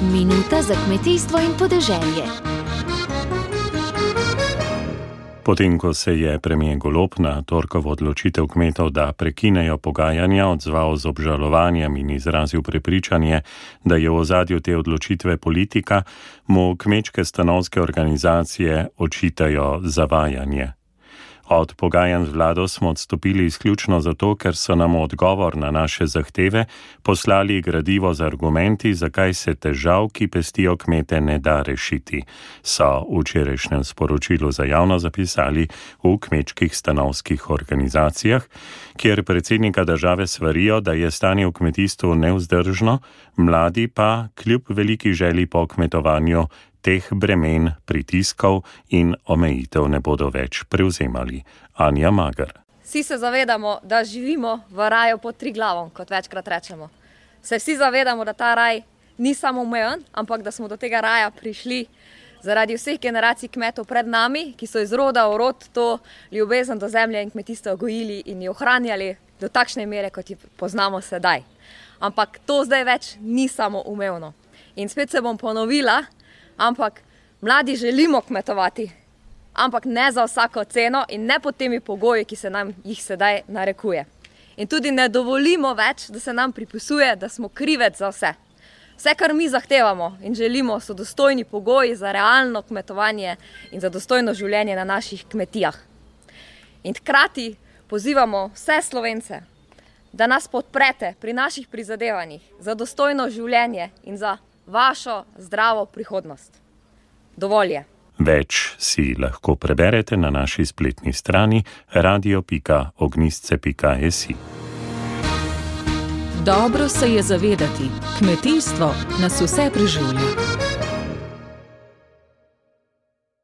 Minuta za kmetijstvo in podeželje. Potem, ko se je premier Golob na torkovo odločitev kmetov, da prekinejo pogajanja, odzval z obžalovanjem in izrazil prepričanje, da je v ozadju te odločitve politika, mu kmečke stanovske organizacije očitajo zavajanje. Od pogajanj z vlado smo odstopili izključno zato, ker so nam odgovor na naše zahteve poslali gradivo z argumenti, zakaj se težav, ki pestijo kmete, ne da rešiti, so v včerajšnjem sporočilu za javnost zapisali v kmečkih stanovskih organizacijah, kjer predsednika države svarijo, da je stanje v kmetijstvu nevzdržno, mladi pa kljub veliki želji po kmetovanju teh bremen, pritiskov in omejitev ne bodo več prevzemali. Anja Mager. Vsi se zavedamo, da živimo v raju pod Triglavom, kot večkrat rečemo. Se vsi zavedamo, da ta raj ni samoomejen, ampak da smo do tega raja prišli zaradi vseh generacij kmetov pred nami, ki so iz roda v rod to ljubezen do zemlje in kmetijstva gojili in jo ohranjali do takšne mere, kot jo poznamo sedaj. Ampak to zdaj več ni samoumevno. In spet se bom ponovila, ampak mladi želimo kmetovati, ampak ne za vsako ceno in ne pod temi pogoji, ki se nam jih sedaj narekuje. In tudi ne dovolimo več, da se nam pripisuje, da smo krivec za vse. Vse, kar mi zahtevamo in želimo, so dostojni pogoji za realno kmetovanje in za dostojno življenje na naših kmetijah. In hkrati pozivamo vse Slovence, da nas podprete pri naših prizadevanjih za dostojno življenje in za vašo zdravo prihodnost. Dovolj je. Več si lahko preberete na naši spletni strani radio.ognistce.si. Dobro se je zavedati, kmetijstvo nas vse preživlja.